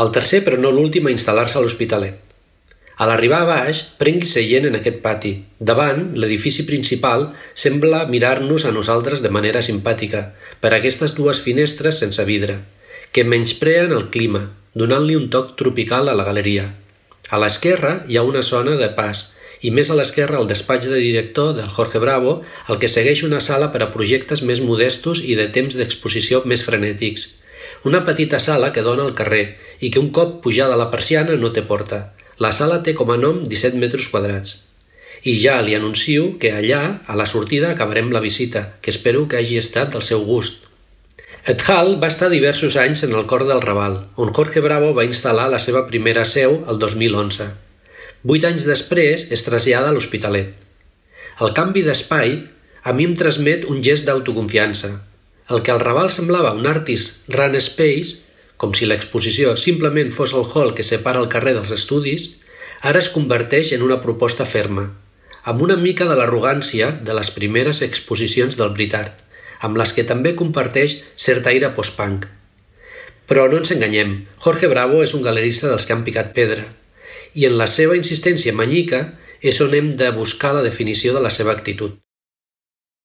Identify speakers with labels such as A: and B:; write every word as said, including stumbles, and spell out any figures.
A: El tercer, però no l'últim, a instal·lar-se a l'Hospitalet. A l'arribar a baix, prengui seient en aquest pati. Davant, l'edifici principal sembla mirar-nos a nosaltres de manera simpàtica, per aquestes dues finestres sense vidre, que menyspreen el clima, donant-li un toc tropical a la galeria. A l'esquerra hi ha una zona de pas, i més a l'esquerra el despatx de director del Jorge Bravo, el que segueix una sala per a projectes més modestos i de temps d'exposició més frenètics. Una petita sala que dona al carrer i que un cop pujada la persiana no té porta. La sala té com a nom disset metres quadrats. I ja li anuncio que allà, a la sortida, acabarem la visita, que espero que hagi estat del seu gust. Et Hall va estar diversos anys en el cor del Raval, on Jorge Bravo va instal·lar la seva primera seu el dos mil onze. Vuit anys després es trasllada a l'Hospitalet. El canvi d'espai a mi em transmet un gest d'autoconfiança. El que al Raval semblava un artist run space, com si l'exposició simplement fos el hall que separa el carrer dels estudis, ara es converteix en una proposta ferma, amb una mica de l'arrogància de les primeres exposicions del Britart, amb les que també comparteix cert aire post-punk. Però no ens enganyem, Jorge Bravo és un galerista dels que han picat pedra, i en la seva insistència manyica és on hem de buscar la definició de la seva actitud.